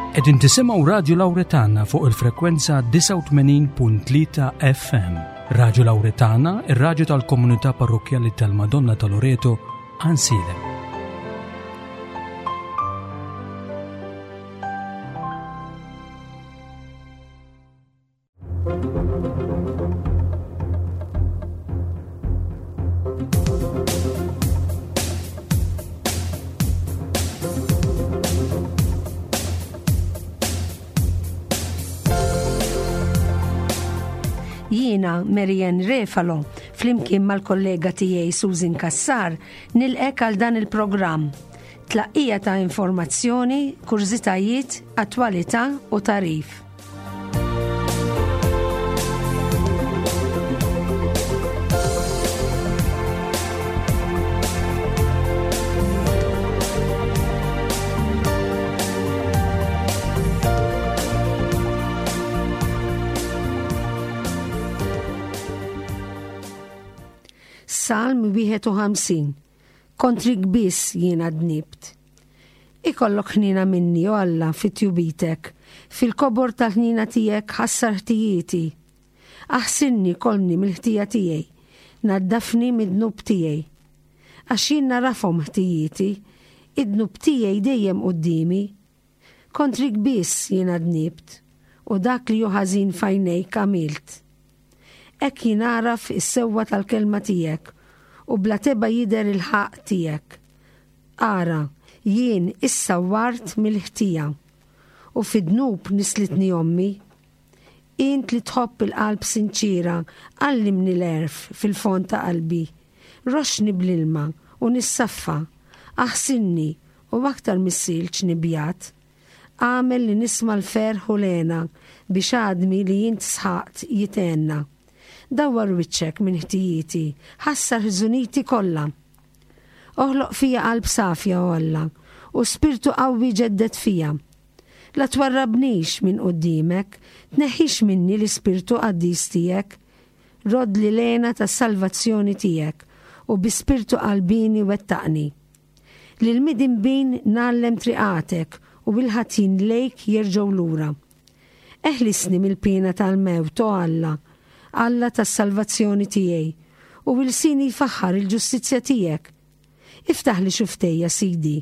Qegħdin tisimgħu Radju Lawretana fuq il-frekwenza 89.3 FM. Radju Lawretana, ir-radju tal-komunità parrokkjali tal-Madonna ta' Loreto, Ansilem. Jiena Marianne Refalo, flimkien mal-kollega tiegħi Susan Cassar, nilqek għal dan il-programm. Tlaqqija ta' informazzjoni, kurżitajiet, attwalità u tagħrif. Salm 51 Kontrik biss jiena dnibt. Ikollok ħniena minni, o Alla, fi tjubitek, fil-kobor tal-ħniena tiegħek ħassar ħtijieti. Aħsilni kollni mill-ħtija tiegħi, naddafni mid-dnub tiegħi. Għax jien narafhom ħtijieti, id-dnub tiegħi dejjem quddiemi. Kontrik biss jiena dnibt, u dak li hu ħażin f'għajnejk għamilt. Hekk jingħaraf is-sewwa tal-kelma tiegħek, u bla tebgħa jidher il-ħaqq tiegħek. Ara, jien issawwart mill-ħtija, u fid-dnub nislitni ommi. Int li tħobb il-qalb sinċiera, għallimni l-għerf fil-fond ta' qalbi. Roxxni bl-ilma, u nissaffa, aħsilni, u aktar mis-silġ nibjad. Agħmel li nisma' l-ferħ u l-hena, biex għadmi li int sħaqt jithenna. Dawwar wiċċek minn ħtijieti, ħassar ħżuniti kollha. Oħloq fija qalb safja, o Alla, u spirtu qawwi ġedded fija. La twarrabnix minn quddiemek, tneħħix minni l-ispirtu qaddis tiegħek. Roddli l-hena tas-salvazzjoni tiegħek, u bi spirtu qalbieni wettaqni. Lill-midinbin ngħallem triqatek, u l-ħatjin lejk jerġgħu lura. Eħlisni mill-piena tal-mewt, o Alla, Alla tas-salvazzjoni tiegħi, u ilsieni jfaħħar il-ġustizzja tiegħek. Iftaħli xuftejja, Sidi,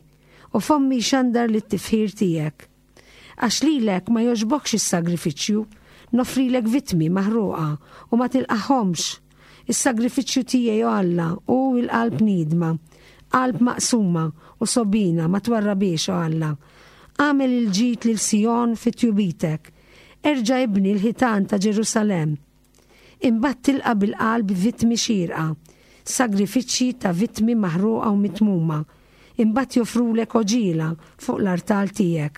u fommi jxandar lit-tifħir tiegħek. Għax lilek ma jogħġbokx is-sagrifiċċju, noffrilek vittmi maħruqa u ma tilqagħhomx. Is-sagrifiċċju tiegħi, o Alla, hu l-qalb niedma, qalb maqsuma u sogħbina ma twarrabhiex, o Alla. Agħmel il-ġid lil Sijon fi tjubitek. Erġa' ibni l-ħitan ta' Ġerusalemm. Imbagħad tilqa' bil-qalb vittmi xierqa, sagrifiċċji ta' vittmi maħruqa u mitmuma, imbagħad joffrulek għoġiela fuq l-artal tiegħek.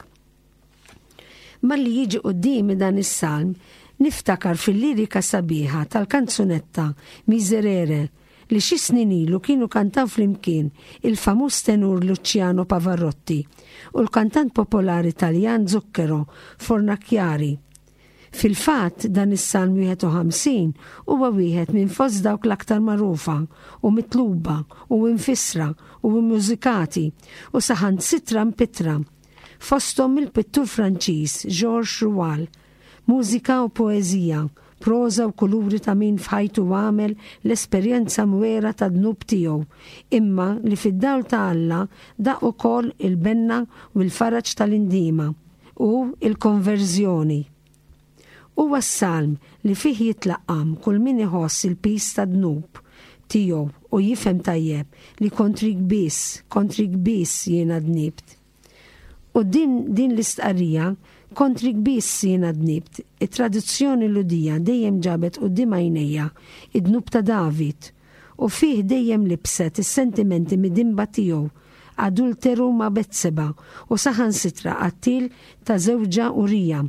Malli jiġi quddiemi dan is-salm, niftakar fil-lirika sabiħa tal-kanzunetta Miserere li xi snin ilu kienu kantaw flimkien il-famuż tenur Luciano Pavarotti u l-kantant popolari Taljan Zucchero Fornaciari. Fil-fatt, dan is-Salm 51 huwa wieħed minn fost dawk l-aktar magħrufa u mitluba u imfissra u immużikati u saħansitra mpittra, fosthom mill-pittur Franċiż Georges Roual. Mużika u poeżija, proża u kuluri ta' min f'ħajtu għamel l-esperjenza mwera tad-dnub tiegħu, imma li fid-dawl ta' Alla daq ukoll il-benna u l-faraġ tal-indiema u l-konverżjoni. Huwa s-salm li fih jitlaqqam kull min iħoss il-piż tad-dnub tiegħu u jifhem tajjeb li kontrik biss, kontrik biss jiena dnibt. Quddiem din l-istqarrija, Kontrik biss jiena dnibt, it-tradizzjoni Lhudija dejjem ġabet quddiem għajnejha d-dnub ta' David, u fih dejjem libset is-sentimenti midinba tiegħu, adulteru ma' Betseba u saħansitra qattiel ta' żewġha Urija.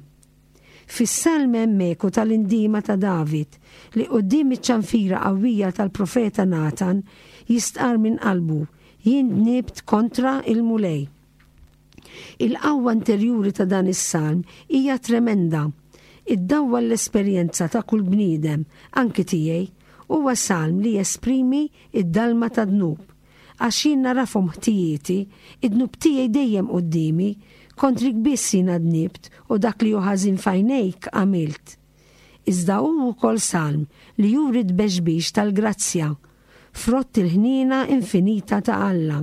Fis-salm hemm eku tal-indiema ta' David, li quddiem iċ-ċanfira qawwija tal-profeta Natan jistqarr minn qalbu, Jien dnibt kontra il-Mulej. Il-qawwa interjuri ta' dan is-salm hija tremenda. Iddawwal l-esperjenza ta' kull bniedem, anki tiegħi. Huwa salm li jesprimi d-dalma tad-dnub. Għax jien narafhom ħtijieti, id-dnub tiegħi dejjem quddiemi. Kontrik biss jiena dnibt u dak li hu ħażin f'għajnejk għamilt. Iżda hu wkoll salm li juri t-tbexbix tal-grazzja, frott il-ħniena infinita ta' Alla.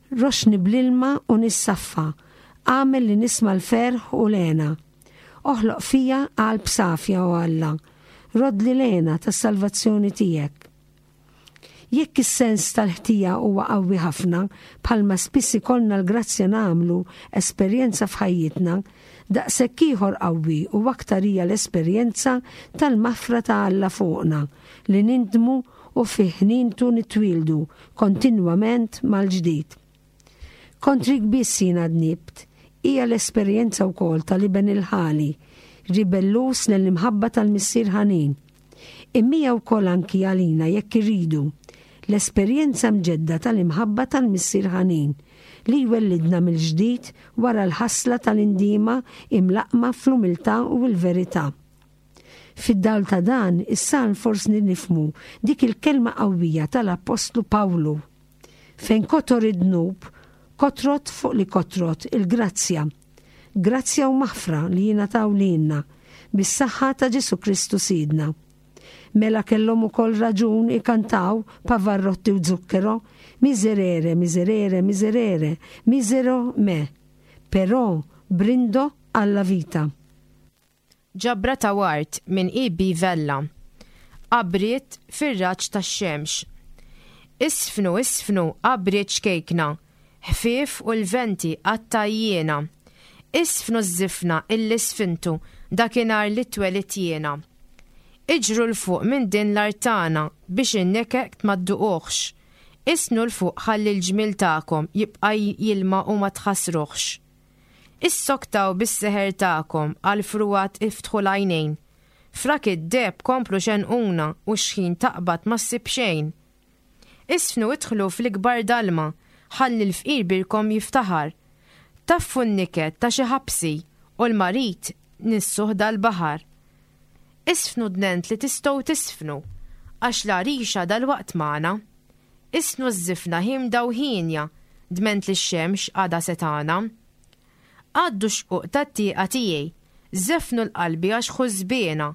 Roxxni bl-ilma u nissaffa, agħmel li nisma' l-ferħ u l-hena. Oħloq fija qalb safja, o Alla, roddli l-hena tas-salvazzjoni tiegħek. Jekk is-sens tal-ħtija huwa qawwi ħafna, bħalma spiss ikollna l-grazzja nagħmlu esperjenza f'ħajjitna, daqshekk ieħor qawwi u aktar hija l-esperjenza tal-maħfra ta' Alla fuqna, li nindmu u fi ħnientu nitwieldu kontinwament mal-ġdid. Kontrik biss jiena dnibt, hija l-esperjenza wkoll tal-iben il-ħali, ribelluż lejn l-imħabba tal-Missier ħanin. Imma hija wkoll anki għalina jekk irridu, l-esperjenza mġedda tal-imħabba tal-Missier ħanin, li jwellidna mill-ġdid wara l-ħasla tal-indiema imlaqqma fl-umiltà u l-verità. Fid-dawl ta' dan, is-salm forsni nifhmu dik il-kelma qawwija tal-Appostlu Pawlu, Fejn kotor id-dnub, kotrot fuq li kotrot il-grazzja. Grazzja u maħfra li jingħataw lilna bis-saħħa ta' Ġesù Kristu Sidna. Mela kellhom ukoll raġun ikantaw Pavarotti u Zucchero, Miserere, miserere, miserere, misero me. Però brindo alla vita. Ġabra ta' ward minn E. B. Vella. Qabriet fir-raġġ tax-xemx. Isfnu, isfnu, qabriet ċkejkna, ħfief u l-venti għat-tgħajjiena. Isfnu ż-żifna illi sfintu dakinhar li twelidt jiena. Iġru 'l fuq minn din l-art tagħna biex in-nekek ma dduquhx. Isfnu 'l fuq ħalli l-ġmiel tagħkom jibqa' jilma u ma tħassruhx. Issoktaw bis-seħer tagħkom għall-frugħat iftħu l-għajnejn. Frak id-deheb komplu xenquna u x'ħin taqbad ma ssib xejn. Isfnu idħlu fl-ikbar dalma ħalli l-fqir birkom jiftaħar. Taffu n-niket ta' xi ħabsi u l-marid nissuh dal-baħar. Isfnu dnent li tistgħu tisfnu għax l-għarixa dalwaqt magħna. Isnu ż-żifna ħiemda u hienja, dment li x-xemx għadha setgħana. Għaddu x-xquq tat-tieqa tiegħi, żeffnu l-qalbi għax ħużbiena.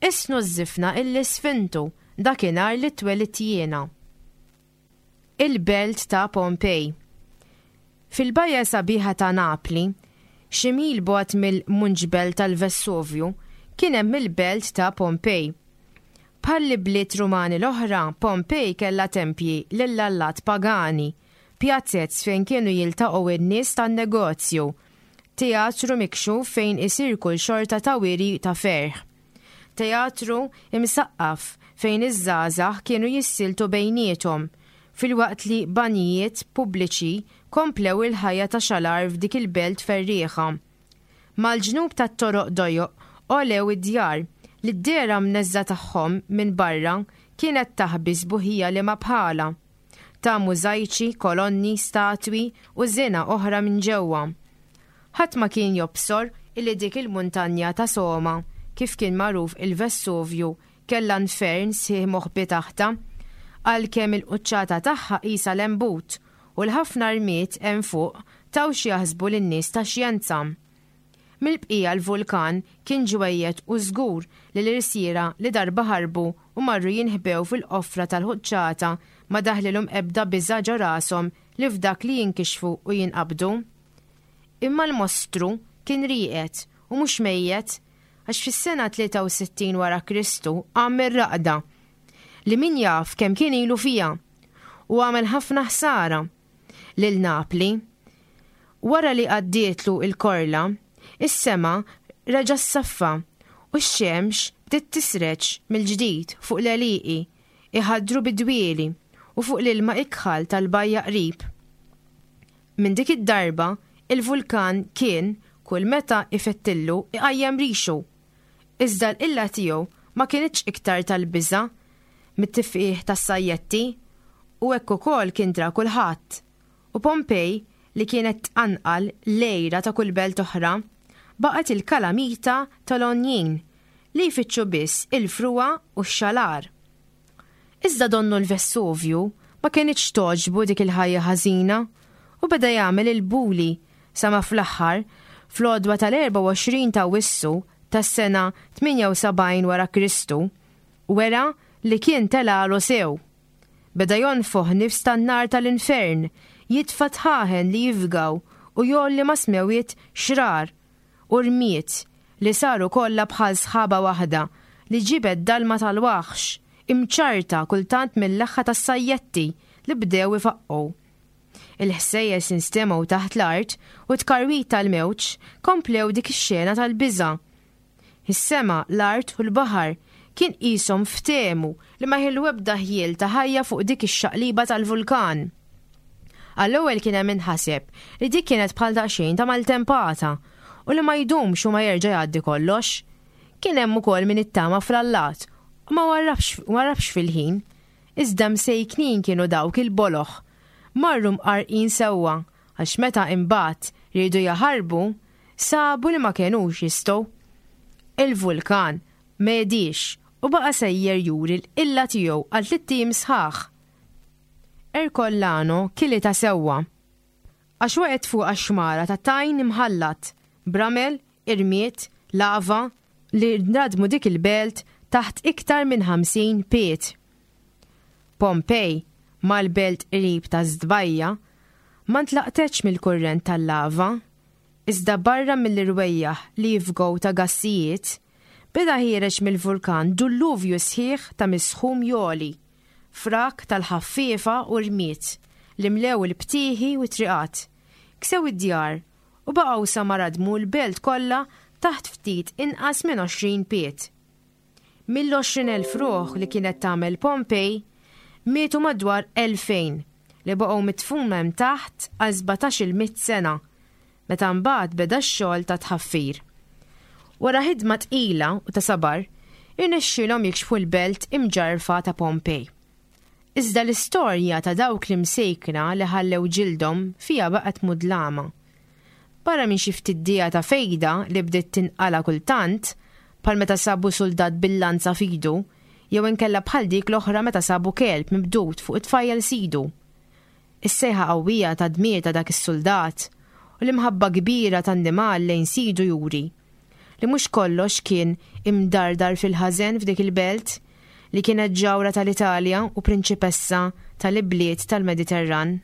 Isnu ż-żifna illi sfintu dakinhar li twelidt jiena. Il-belt ta' Pompej. Fil-bajja sabiħa ta' Napli, xi mil bogħod mill-Munġbel tal-Vessuvju, kien hemm il-belt ta' Pompej. Bħall-ibliet Rumani l-oħra, Pompej kellha tempji lill-allat pagani, pjazez fejn kienu jiltaqgħu n-nies tan-negozju, teatru mikxuf fejn isir kull xorta ta' wiri ta' ferħ, teatru imsaqqaf fejn iż-żgħażagħ kienu jissieltu bejniethom, filwaqt li banjijiet pubbliċi komplew il-ħajja ta' xalar f'dik il-belt ferrieħa. Mal-ġnub tat-toroq dojoq għolew id-djar, li d-dehra mneżżgħa tagħhom minn barra kienet taħbi sbuħija liema bħalha, ta' mużajċi, kolonni, statwi u żina oħra minn ġewwa. Ħadd ma kien jobsor illi dik il-muntanja ta' Soma, kif kien magħruf il-Vessuvju, kellha nfern sħiħ moħbi taħtha, għalkemm il-quċċata tagħha qisha lembut u l-ħafna rmied hemm fuq taw x'jaħsbu lin-nies tax-xjenza. Mill-bqija l-vulkan kien ġwejjed u żgur li l-irsiera li darba ħarbu u marru jinħbew fil-qoffra tal-ħuċċata ma daħlilhom ebda biża' ġo rashom li f'dak li jinkixfu u jinqabdu. Imma l-mostru kien rieqed u mhux mejjet għax fis-sena 63 wara Kristu qam mir-raqda li min jaf kemm kien ilu fiha u għamel ħafna ħsara lil Napli. Wara li għaddietlu l-korla, is-sema reġa' ssaffa u x-xemx bdiet tisreġ mill-ġdid fuq l-għelieqi iħaddru bid-dwieli u fuq l-ilma ikħal tal-bajja qrib. Minn dik id-darba, il-vulkan kien kull meta ifettillu iqajjem rixu. Iżda l-qilla tiegħu ma kinitx iktar tal-biża' mit-tifqigħ tas-sajjetti, u hekk ukoll kien dra kulħadd. U Pompej, li kienet tqanqal l-għira ta' kull belt oħra, baqgħet il-kalamita tal-għonjin li jfittxu biss il-frugħa u x-xalar. Iżda donnu l-Vessuvju ma kinitx togħġbu dik il-ħajja ħażina u beda jagħmel il-buli. Sa ma fl-aħħar, fl-għodwa tal-24 ta' Awwissu tas-sena 78 wara Kristu, wera li kien telgħalu sew. Beda jonfoħ nifs tan-nar tal-infern, jitfa' dħaħen li jifgaw u jgħolli mas-smewwiet xrar u rmied li saru kollha bħal sħaba waħda li ġiebet dalma tal-waħx, imċarrta kultant mill-leħħa tas-sajjetti li bdew ifaqqgħu. Il-ħsejjes instemgħu taħt l-art u t-tkarwit tal-mewġ komplew dik ix-xena tal-biża'. Is-sema, l-art u l-baħar kien qishom ftehmu li ma jħillu ebda ħjiel ta' ħajja fuq dik ix-xaqliba tal-vulkan. Għall-ewwel kien hemm min ħaseb li dik kienet bħal daqsxejn ta' maltempata u li ma jdumx u ma jerġa' jgħaddi kollox. Kien hemm ukoll min ittama fl-allat u ma warrabx fil-ħin. Iżda msejknin kienu dawk il-boloh. Marru mqarrqin sewwa għax meta imbagħad riedu jaħarbu, sabu li ma kenux jistgħu. Il-vulkan m'għediex u baqa' sejjer juri l-qilla tiegħu għal tlitt ijiem sħaħ. Ercollano kilitha sewwa. Għax waqgħet fuqha xmara ta' tajn imħallat, b'ramel, irmied, lava, li radmu dik il-belt taħt iktar minn 50 pied. Pompej, mal-belt qrib ta' Zdbajja, ma ntlaqtetx mill-kurrent tal-lava, iżda barra mill-irwejjaħ li jifgħu ta' gassijiet, beda ħiereġ mill-vulkan dulluvju sħiħ ta' misħum jogħli, frak tal-ħaffiefa u rmied li mlew il-btieħi u t-triqat, ksew id-djar u baqgħu sa ma radmu l-belt kollha taħt ftit inqas minn 20 pied. Mill-20,000 ruħ li kienet tagħmel Pompej, mietu madwar 2,000 li baqgħu midfuna hemm taħt għal sbatax-il mitt sena, meta mbagħad beda x-xogħol ta' tħaffir. Wara ħidma tqila u ta' sabar, irnexxielhom jikxfu l-belt imġarrfa ta' Pompej. Iżda l-istorja ta' dawk l-imsejkna li ħallew ġildhom fiha baqgħet mudlama. Barra minn xi ftit dija ta' fejda li bdiet tinqala' kultant, bħal meta sabu suldat bil-lanza f'idu, jew inkella bħal dik l-oħra meta sabu kelb mibdud fuq it-tfajjel sidu. Is-sejħa qawwija ta' dmir ta' dak is-suldat u l-imħabba kbira tan-nimal lejn sidu juri li mhux kollox kien imdardar fil-ħażen f'dik il-belt li kienet ġawhra tal-Italja u prinċipessa tal-ibliet tal-Mediterran.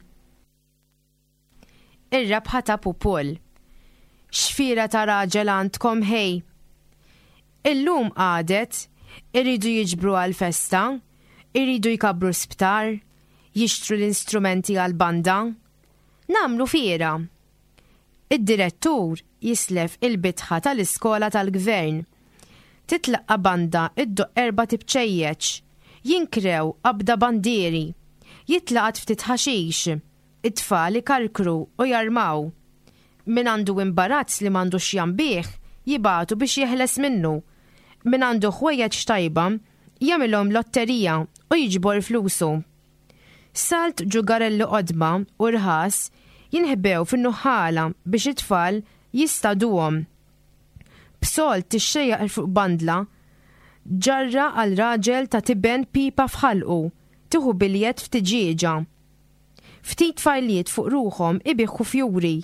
Ir-rebħa ta' Pupul. X'fiera ta' raġel għandkom ħej! Illum għadet, iridu jiġbru għall-festa, iridu jkabbru sptar, jixtru l-instrumenti għall-banda. Nagħmlu fiera. Id-direttur jislef il-bitħa tal-iskola tal-gvern. Titlaqqa' banda ddoqq erbat ibċejjeċ. Jinkrew qabda bandieri. Jitlaqat ftit ħaxix. It-tfal ikarkru u jarmaw. Min għandu imbarazz li m'għandux x'jambih, jibagħtu biex jeħles minnu. Min għandu ħwejjeġ tajba, jagħmilhom lotterija u jiġbor flusu. Salt ġugarelli qodma u rħas jinħbew fin-nuħħala biex it-tfal jistaduhom. B'sold tixxejjaq fuq bandla, ġarra għal raġel ta' tiben pipa f'ħalqu, tieħu biljett f'tiġieġa. Ftit tfajliet fuq ruħhom ibiħħu fjuri,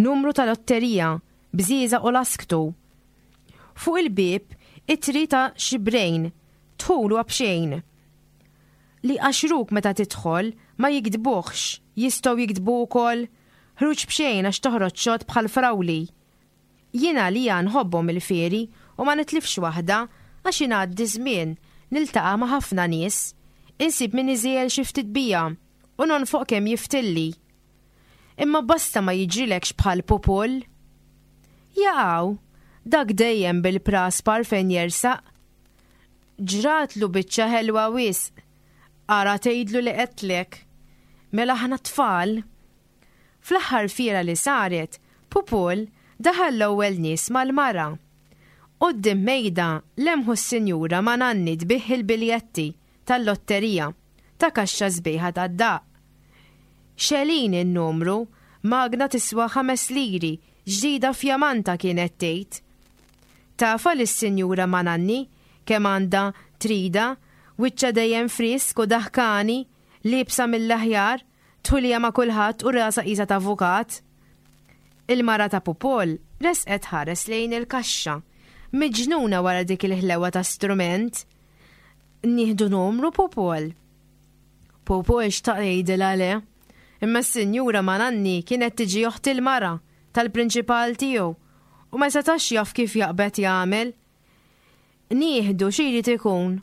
numru ta' lotterija, bżieżaq u lasktu. Fuq il-bieb ittri ta' xibrejn, dħul huwa b'xejn. Li jqaxxruk meta tidħol ma jigdbuhx, jistgħu jigdbu wkoll, ħruġ b'xejn għax toħroġ xott bħal frawli. Jien għalija nħobbhom il-fieri u ma nitlifx waħda għax ingħaddi żmien, niltaqa' ma' ħafna nies, insib min iżiegħel xi ftit bija u nonfoq kemm jiftilli. Imma basta ma jiġrilekx bħal Pupul. Jaqaw, dak dejjem bil-praspar fejn jersaq. Ġratlu biċċa ħelwa wisq. Ara tgħidlu li għedtlek. Mela aħna tfal. Fl-aħħar fiera li saret, Pupul daħal l-ewwel nies mal-mara. Quddiem mejda lemħu s-sinjura ma' Nanni tbigħ il-biljetti tal-lotterija ta' kaxxa sbejħa tad-daqq. Xelin in-numru, magna tiswa ħames liri, ġdida fjamanta kienet tgħid. Tafha lis-Sinjura Mananni kemm għandha tridha, wiċċha dejjem frisk u daħkani, liebsa mill-aħjar, tħulija ma' kulħadd u rasha qisha t'avukat. Il-mara ta' Pupol resqet ħares lejn il-kaxxa, miġnuna wara dik il-ħlewa ta' strument. Nieħdu numru Pupol. Pupol xtaq jgħidilha le. Imma s-sinjura Mananni kienet tiġi oħt il-mara tal-prinċipal tiegħu u ma setax jaf kif jaqbed jagħmel. Nieħdu xi jrid ikun.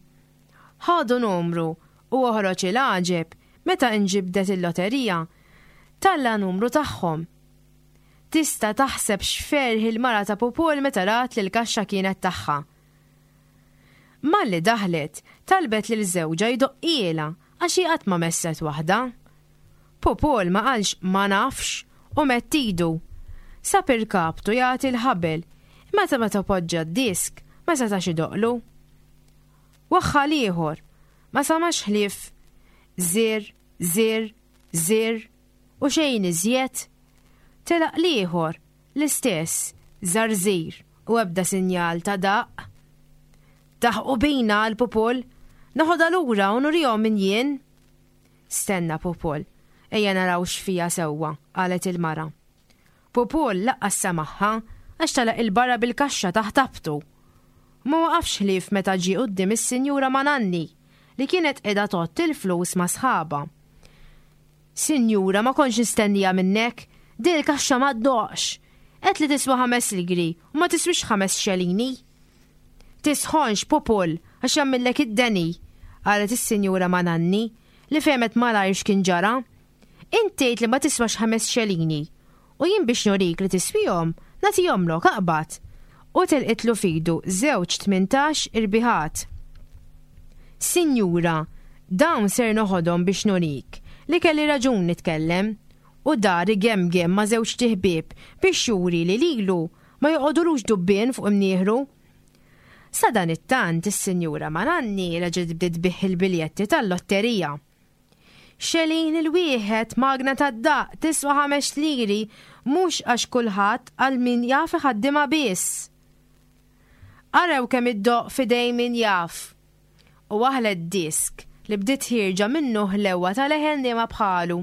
Ħadu numru u oħroġ il-għaġeb meta inġibdet il-loterija talla' numru tagħhom. Tista' taħseb x'ferħ il-mara ta' Pupul meta rat li l-kaxxa kienet tagħha. Malli daħlet, talbet lil żewġha jdoqqielha għax hi qatt ma messet waħda. Pupul ma qalx ma nafx u medd idu. Sab irkabtu jagħti l-ħabel, imma ta' meta poġġa d-disk ma setax idoqqlu. Waħħal ieħor, ma samax ħlief żir, żir, żir u xejn iżjed. Telaq l-ieħor, l-istess, żarżir u ebda sinjal ta' daqq. Daħqu bina għal Pupul, noħodha lura u nurihom min jien. Stenna, Pupol, ejja naraw x'fiha sewwa, qalet il-mara. Pupol laqqas semagħha għax telaq 'il barra bil-kaxxa taħt abtu. Ma waqafx ħlief meta ġie quddiem is-Sinjura Mananni li kienet qiegħda tgħodd il-flus ma' sħabha. Sinjura, ma kontx nistenniha minnek, din il-kaxxa ma ddoqqx. Għedt li tiswa ħames ligri u ma tiswix ħames xelini. Tisħonx, Pupul, għax jagħmillek id-deni, qalet is-Sinjura Mananni, li fehmet malajr x'kien ġara. Int tgħid li ma tiswax ħames xelini, u jien biex nurik li tiswihom, nagħtihomlok, aqbad. U telqitlu f'idu żewġ 18 irbiħat. Sinjura, dawn ser noħodhom biex nurik li kelli raġun nitkellem. U dar igemgem ma' żewġt iħbieb biex juri li lilu Ma joqogħdulux dubbien fuq imnieħru. Sadanittant is-Sinjura Mananni reġgħet bdiet tbigħ il-biljetti tal-lotterija. Xelin il-wieħed magna tad-daqq tiswa ħamex liri mhux għax kulħadd għal min jaf iħaddimha biss. Araw kemm iddoqq f'idejn min jaf. U waħlet disk li bdiet ħierġa minnu ħlewwa ta' leħen liema bħalu.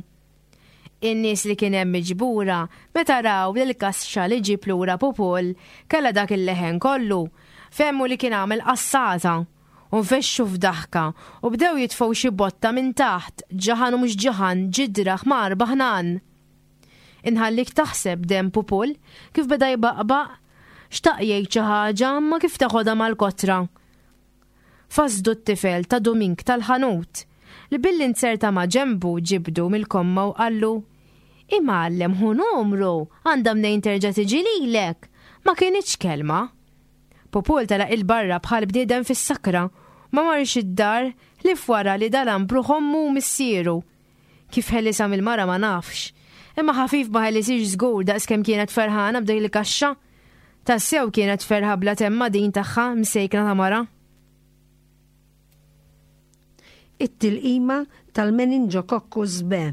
In-nies li kien hemm miġbura meta raw li l-kaxxa li ġieb lura Pupul kellha dak il-leħen kollu, fehmu li kien għamel qassata u nfexxu f'daħka u bdew jitfgħu xi botta minn taħt, ġaħan u mhux ġaħan, ġidra, ħmar, baħnan. Inħallik taħseb demm Pupul kif beda jbaqbaq, xtaq jgħid xi ħaġa imma kif teħodha mal-kotra. Fasdu t-tifel ta' Dumink tal-ħanut, li billi nzerta ma' ġenbu ġibdu mill-komma u qallu, Imgħallem ħu numru, għandha mnejn terġa' tiġi lilek! Ma kinitx kelma. Pupul telaq 'il barra bħal bniedem fis-sakra u ma marx id-dar ħlief wara li dalam b'ruħ ommu u missieru. Kif ħelisha mill-mara ma nafx. Imma ħafif ma ħelisiex żgur daqs kemm kienet ferħana b'dik il-kaxxa. Tassew kienet ferħa bla temma din tagħha msejkna ta' mara. It-tilqima tal-meningococcus B.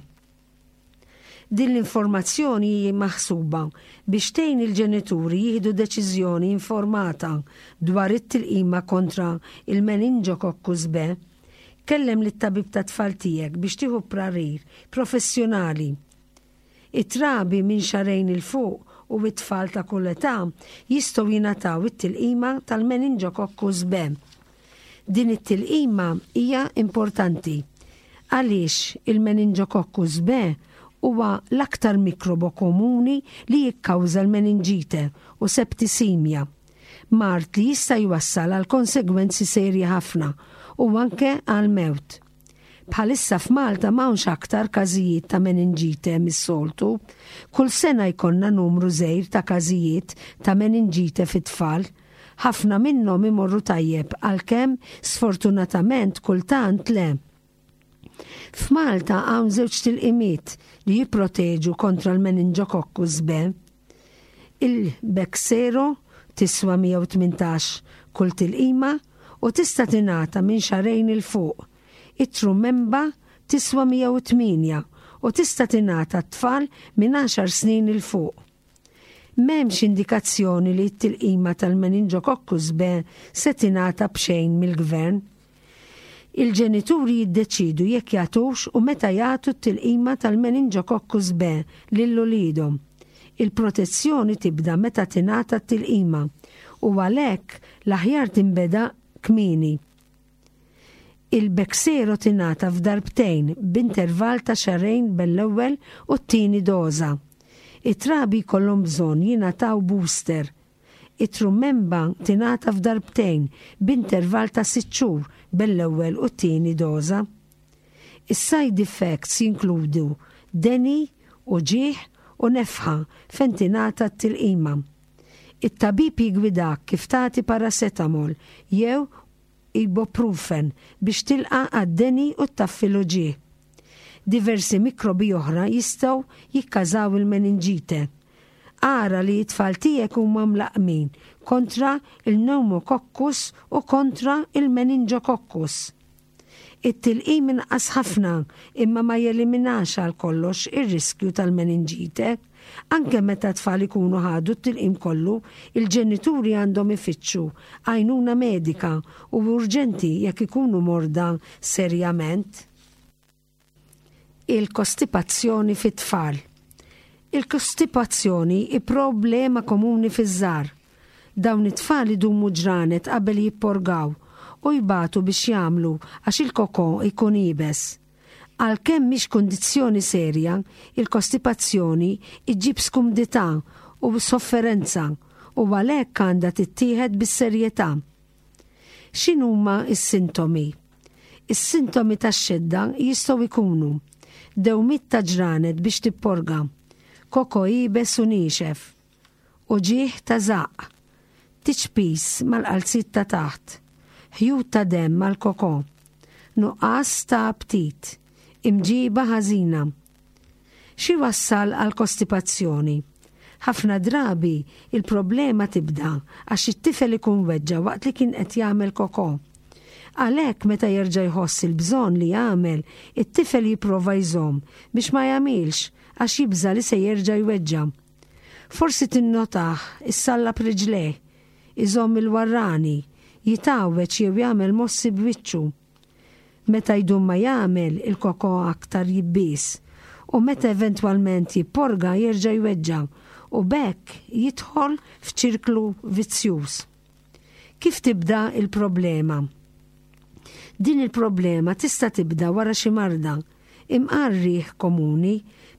Din l-informazzjoni hi maħsuba biex tgħin il-ġenituri jieħdu deċiżjoni informata dwar it-tilqima kontra il-meningococcus B. Kellem lit-tabib tat-tfal tiegħek biex tieħu prarir professjonali. It-trabi minn xahrejn 'il fuq u t-tfal ta' kull età jistgħu jingħataw it-tilqima tal-meningococcus B. Din it-tilqima hija importanti għaliex il-meningococcus B huwa l-aktar mikrobo komuni li jikkawża l-meninġite u septisemia, mard li jista' jwassal għal konsegwenzi serji ħafna u anke għall-mewt. Bħalissa f'Malta m'hawnx aktar każijiet ta' meninġite mis-soltu. Kull sena jkollna numru żgħir ta' każijiet ta' meninġite fit-tfal. Ħafna minnhom imorru tajjeb għalkemm sfortunatament kultant le. F'Malta hawn żewġ tilqimiet li jipproteġu kontra l-meningococcus B. Il-Bexsero tiswa 118 kull tilqima u tista' tingħata minn xahrejn 'il fuq. It-Trumenba tiswa 108 u tista' tingħata t-tfal minn għaxar snin 'il fuq. M'hemmx indikazzjoni li t-tilqima tal-meningococcus B se tingħata b'xejn mill-Gvern. Il-ġenituri jiddeċiedu jekk jagħtux u meta jagħtu t-tilqima tal-meningococcus B lil uliedhom. Il-protezzjoni tibda meta tingħata t-tilqima u għalhekk l-aħjar tinbeda kmieni. Il-Bexsero tingħata f'darbtejn b'intervall ta' xahrejn bejn l-ewwel u t-tieni doża. It-trabi jkollhom bżonn jingħataw booster. It-Trumenba tingħata f'darbtejn b'intervall ta' sitt xhur bejn l-ewwel u t-tieni doża. Is-side effects jinkludu deni, uġigħ u nefħa fejn tingħata t-tilqima. It-tabib jiggwidak kif tagħti paracetamol jew ibuprofen biex tilqa' għad-deni u ttaffi l-uġigħ. Diversi mikrobi oħra jistgħu jikkażaw il-meninġite. Ara li t-tfal tiegħek huma mlaqqmin kontra l-pneumococcus u kontra l-meningococcus. It-tilqim inaqqas ħafna imma ma jeliminax għal kollox ir-riskju tal-meninġite. Anke meta t-tfal ikunu ħadu t-tilqim kollu, il-ġenituri għandhom ifittxu għajnuna medika u urġenti jekk ikunu morda serjament. Il-kostipazzjoni fit-tfal. Il-kostipazzjoni hi problema komuni fiż-żgħar. Dawn it-tfal idumu ġranet qabel jipporgaw u jbatu biex jagħmlu għax il-kokò jkun iebes. Għalkemm mhix kundizzjoni serja, il-kostipazzjoni ġġib skumdità u sofferenza u għalhekk għandha tittieħed bis-serjetà. X'inhuma s-sintomi? Is-sintomi tax-xedda jistgħu jkunu, dewmiet ta' ġranet biex tipporga, koko iebes u niexef, uġigħ ta' żaqq, tiċpis mal-qalziet ta' taħt, ħjut ta' demm mal-koko, nuqqas ta' aptit, imġiba ħażina. X'iwassal għall-kostipazzjoni? Ħafna drabi, il-problema tibda għax it-tifel ikun weġġa' waqt li kien qed jagħmel kokò. Għalhekk meta jerġa' jħoss il-bżonn li jagħmel, it-tifel jipprova jżomm biex ma jagħmilx għax jibża' li se jerġa' jweġġa'. Forsi tinnotah issallab riġlejh, iżomm il-warrani, jitgħawweġ jew jagħmel mossi b'wiċċu. Meta jdum ma jagħmel, il-kokò aktar jibbies u meta eventwalment jipporga jerġa' jweġġa' u b'hekk jidħol f'ċirklu vizzjuż. Kif tibda l-problema? Din il-problema tista' tibda wara xi marda, imqar riħ komuni,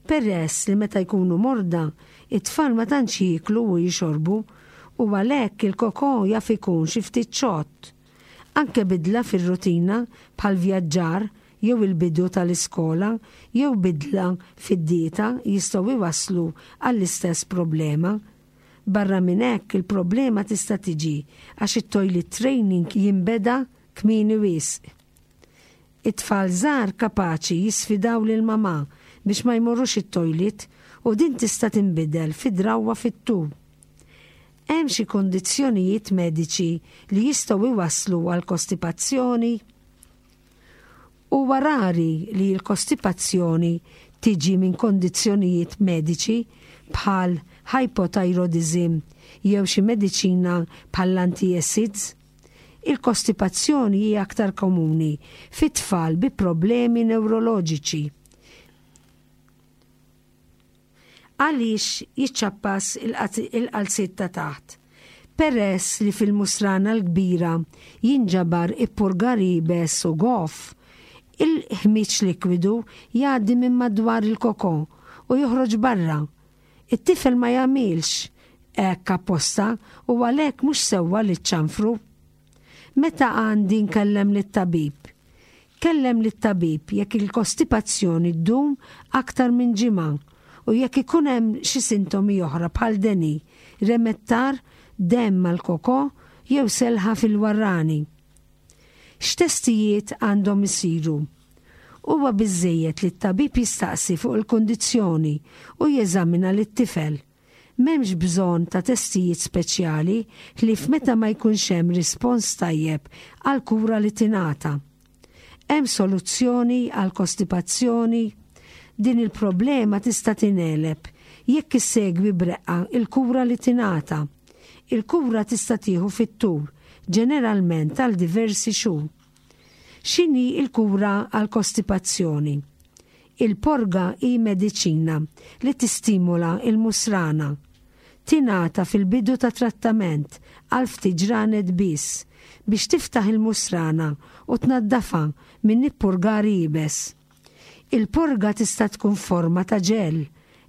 peress li meta jkunu morda, it-tfal ma tantx jieklu u jixorbu u għalhekk il-kokò jaf ikun xi ftit xott. Anke bidla fir-rutina bħal vjaġġar jew il-bidu tal-iskola jew bidla fid-dieta jistgħu jwasslu għall-istess problema. Barra minn hekk il-problema tista' tiġi għax it-toilet training jinbeda kmieni wisq. It-tfal żgħar kapaċi jisfidaw lill-mamà biex ma jmorrux it-toilet u din tista' tinbidel fi drawwa fit-tul. Hemm xi kundizzjonijiet mediċi li jistgħu jwasslu għal kostipazzjoni? Huwa rari li l-kostipazzjoni tiġi minn kondizzjonijiet mediċi bħal hypothyroidism jew xi mediċina bħall-antiacids. Il-kostipazzjoni hi aktar komuni fi tfal bi problemi newroloġiċi. Għaliex jiċċappas il-qalziet ta' taħt? Peress li fil-musrana l-kbira jinġabar ippurgar iebes u goff, il-ħmieġ likwidu jgħaddi minn madwar il-kokò u joħroġ barra. It-tifel ma jagħmilx hekk apposta u għalhekk mhux sewwa li ċċanfru. Meta għandi nkellem lit-tabib? Kellem lit-tabib jekk il-kostipazzjoni ddum aktar minn ġimgħa u jekk ikun hemm xi sintomi oħra bħal deni, remettar, demm mal-kokò jew selħa fil-warrani. X'testijiet għandhom isiru? Huwa biżżejjed li t-tabib jistaqsi fuq il-kundizzjoni u jeżamina lit-tifel. M'hemmx bżonn ta' testijiet speċjali ħlief meta ma jkunx hemm rispons tajjeb għall-kura li tingħata. Hemm soluzzjoni għall-kostipazzjoni? Din il-problema tista' tingħeleb jekk issegwi b'reqqa l-kura li tingħata. Il-kura tista' tieħu fit-tul, ġeneralment għal diversi xhur. X'inhi l-kura għall-kostipazzjoni? Il-porga hi mediċina li tistimula l-musrana. Tingħata fil-bidu ta' trattament għal ftit ġranet biss biex tiftaħ il-musrana u tnaddafha minn ippurgar iebes. Il-porga tista' tkun forma ta' ġel,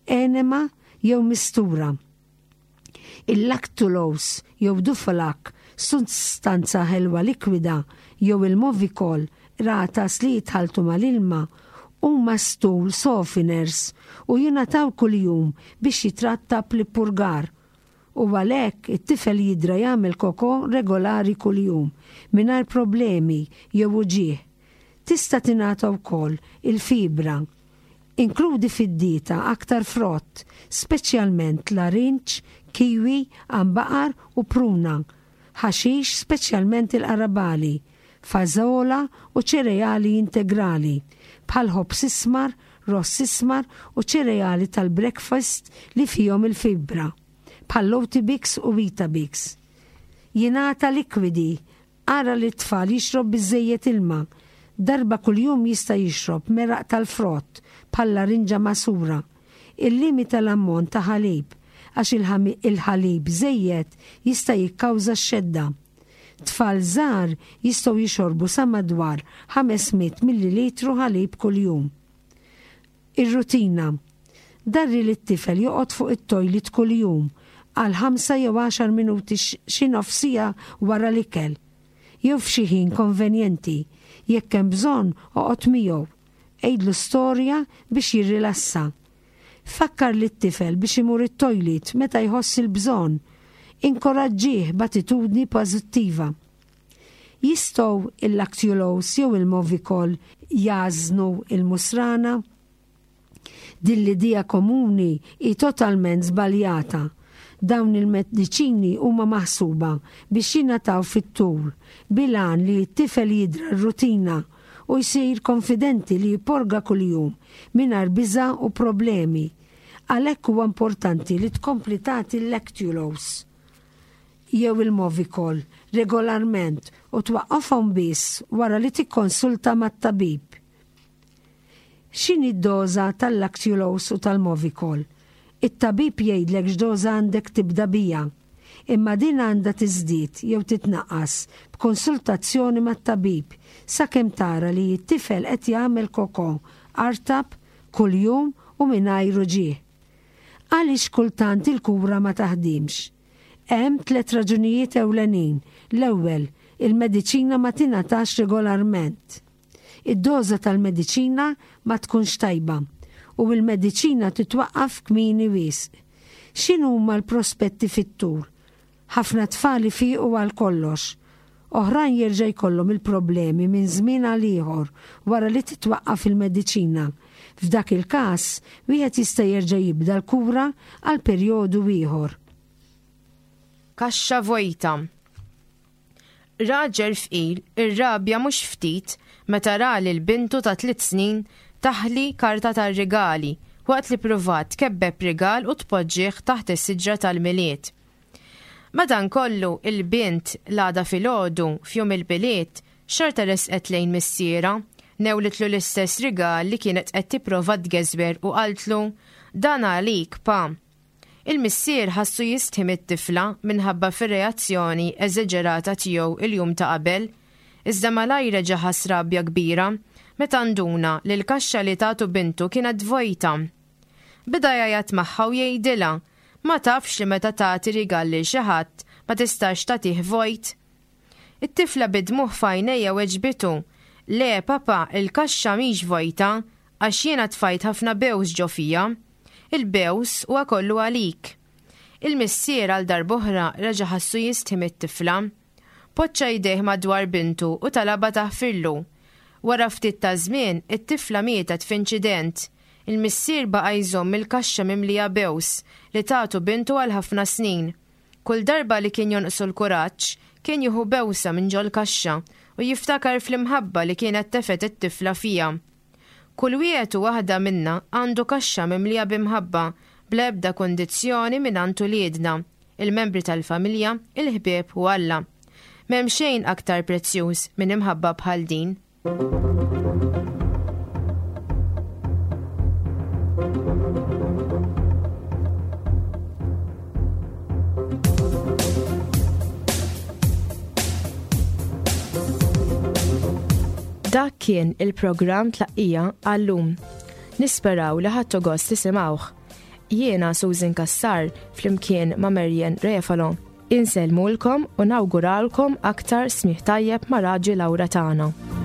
enema jew mistura. Il-lactulose jew Duphalac, sustanza ħelwa likwida, jew il-Movicol, qratas li jitħalltu mal-ilma, huma stool softeners u jingħataw kuljum biex jitrattab l-ippurgar u għalhekk it-tifel jidra jagħmel koko regolari kuljum mingħajr problemi jew uġigħ. Tista' tingħata wkoll il-fibra. Inkludi fid-dieta aktar frott, speċjalment larinġ, kiwi, għanbaqar u pruna, ħaxix speċjalment il-qarabagħli, fażola u ċereali integrali, bħal ħobż ismar, ross ismar u ċereali tal-breakfast li fihom il-fibra, bħall-Oatibix u Weetabix. Jingħata likwidi Ara li t-tfal jixrob biżżejjed ilma. Darba kuljum jista' jixrob meraq tal-frott, bħal larinġa magħsura. Illimita l-ammont ta' ħalib, għax il-ħalib żejjed jista' jikkawża x-xedda. Tfal żgħar jistgħu jixorbu sa madwar 500 millilitru ħalib kuljum. Ir-rutina. Darri lit-tifel joqgħod fuq it-toilet kuljum għal ħamsa jew għaxar minuti xi nofs siegħa wara l-ikel, jew f'xi ħin konvenjenti. Jekk hemm bżonn, oqgħod miegħu. Għidlu storja biex jirrilassa. Fakkar lit-tifel biex imur it-toilet meta jħoss il-bżonn. Inkoraġġih b'attitudni pożittiva. Jistgħu il-lactulose jew il-Movicol jgħażżnu l-musrana? Din l-idea komuni hi totalment żbaljata. Dawn il-mediċini huma maħsuba biex jingħataw fit-tul bil-għan li t-tifel jidra r-rutina u jsir konfidenti li jipporga kuljum mingħajr biża' u problemi. Għalhekk huwa importanti li tkompli tagħti l-lactulose. jew il-Movicol regolarment u twaqqafhom biss wara li tikkonsulta mat-tabib. X'inhi d-doża tal-Lactulose u tal-Movicol? It-tabib jgħidlek x'doża għandek tibda biha. Imma din għandha tiżdied jew titnaqqas b'konsultazzjoni mat-tabib sakemm tara li t-tifel qed jagħmel koko artab kuljum u mingħajr uġigħ. Għaliex kultant il-kura ma taħdimx? Hemm tlett raġunijiet ewlenin. L-ewwel, il-mediċina ma tingħatax regolarment. Id-doża tal-mediċina ma tkunx tajba u l-mediċina titwaqqaf kmieni wisq. X'inhuma l-prospetti fit-tul? Ħafna tfal ifiqu għal kollox. Oħrajn jerġa' jkollhom il-problemi minn żmien għal ieħor wara li titwaqqaf il-mediċina. F'dak il-każ, wieħed jista' jerġa' jibda l-kura għal perjodu ieħor. Kaxxa vojta. Raġel fqir irrabja mhux ftit meta ra lil bintu ta' tliet snin taħli karta tar-rigali waqt li ppruvat tkebbeb rigal u tpoġġih taħt is-siġra tal-Milied. Madankollu, il-bint, l-għada filgħodu, f'jum il-Milied, xorta resqet lejn missierha, newlitlu l-istess rigal li kienet qed tipprova tgeżwer u qaltlu, Dan għalik, pa. Il-missier ħassu jistħi mit-tifla minħabba fir-reazzjoni eżeġerata tiegħu l-jum ta' qabel, iżda malajr reġa' ħass rabja kbira meta nduna li l-kaxxa li tatu bintu kienet vojta. Beda jgħajjat magħha u jgħidilha, Ma tafx li meta tagħti rigal lil xi ħadd ma tistax tagħtih vojt? It-tifla bid-dmugħ f'għajnejha weġbitu, Le, papa, il-kaxxa mhix vojta, għax jiena tfajt ħafna bews ġo fiha. Il-bews huwa kollu għalik. Il-missier għal darb'oħra reġa' ħassu jistħi mit-tifla. Poġġa jdejh madwar bintu u talabha taħfirlu. Wara ftit taż-żmien, it-tifla mietet f'inċident. Il-missier baqa' jżomm il-kaxxa mimlija bews li tatu bintu għal ħafna snin. Kull darba li kien jonqsu l-kuraġġ, kien jieħu bewsa minn ġol-kaxxa u jiftakar fl-imħabba li kienet tefgħet it-tifla fiha. Kull wieħed u waħda minna għandu kaxxa mimlija b'imħabba bla ebda kundizzjoni mingħand uliedna, il-membri tal-familja, il-ħbieb u Alla. M'hemm xejn aktar prezzjuż minn imħabba bħal din. kien il-programm Tlaqqija għal-lum. Nisperaw li ħadtu gost tisimgħuh. Jiena Susan Cassar flimkien ma' Marian Refalo. Insellmulkom u nawguralkom aktar smigħ tajjeb ma' Raġi Laura tagħna.